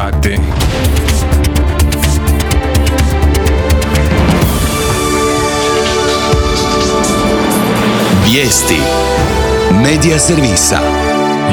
sati. Vijesti Medija servisa.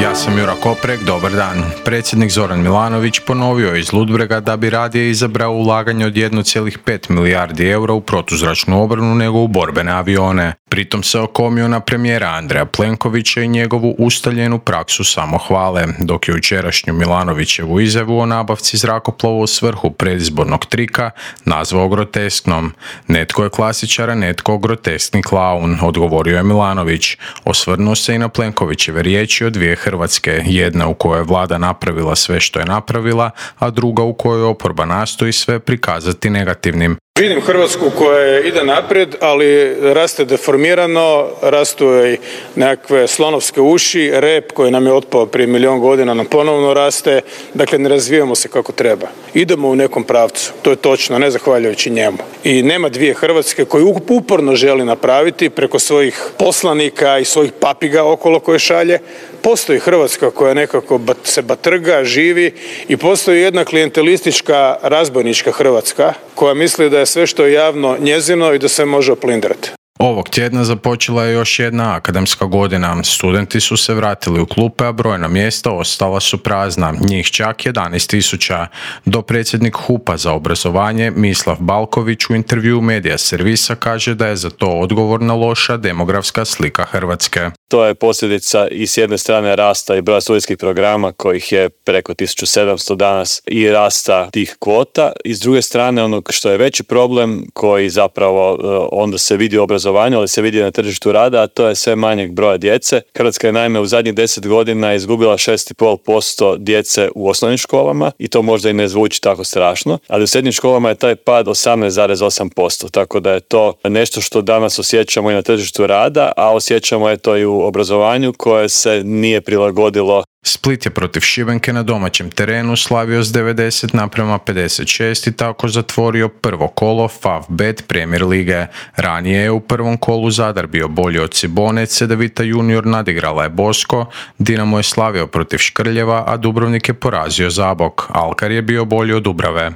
Ja sam Jura Koprek, dobar dan. Predsjednik Zoran Milanović ponovio iz Ludbrega da bi radije izabrao ulaganje od 1,5 milijardi eura u protuzračnu obranu nego u borbene avione. Pritom se okomio na premijera Andreja Plenkovića i njegovu ustaljenu praksu samohvale, dok je jučerašnju Milanovićevu izjavu o nabavci zrakoplova u svrhu predizbornog trika nazvao grotesknom. Netko je klasičar, a netko groteskni klaun, odgovorio je Milanović. Osvrnuo se i na Plenkovićeve riječi o dvije Hrvatske, jedna u kojoj je vlada napravila sve što je napravila, a druga u kojoj oporba nastoji sve prikazati negativnim. Vidim Hrvatsku koja ide naprijed, ali raste deformirano, rastu joj nekakve slonovske uši, rep koji nam je otpao prije 1.000.000 godina nam ponovno raste, dakle ne razvijamo se kako treba. Idemo u nekom pravcu, to je točno, ne zahvaljujući njemu. I nema dvije Hrvatske koju uporno želi napraviti preko svojih poslanika i svojih papiga okolo koje šalje. Postoji Hrvatska koja nekako se batrga, živi i postoji jedna klijentelistička razbojnička Hrvatska koja misli da je sve što je javno njezino i da se može oplindrati. Ovog tjedna započela je još jedna akademska godina. Studenti su se vratili u klupe, a brojna mjesta ostala su prazna, njih čak 11.000. Dopredsjednik HUP-a za obrazovanje Mislav Balković u intervjuu Medija servisa kaže da je za to odgovorna loša demografska slika Hrvatske. To je posljedica i s jedne strane rasta i broja studijskih programa kojih je preko 1700 danas i rasta tih kvota i s druge strane onog što je veći problem koji zapravo onda se vidi u obrazovanju, ali se vidi na tržištu rada, a to je sve manjeg broja djece. Hrvatska je naime u zadnjih 10 godina izgubila 6,5% djece u osnovnim školama i to možda i ne zvuči tako strašno, ali u srednjim školama je taj pad 18,8%, tako da je to nešto što danas osjećamo i na tržištu rada, a osjećamo je to i u obrazovanju koje se nije prilagodilo. Split je protiv Šibenke na domaćem terenu slavio s 90:56 i tako zatvorio prvo kolo Favbet Premier lige. Ranije je u prvom kolu Zadar bio bolji od Cibone, Cedevita Junior nadigrala je Bosko, Dinamo je slavio protiv Škrljeva, a Dubrovnik je porazio Zabok. Alkar je bio bolji od Dubrave.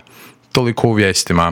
Toliko u vijestima.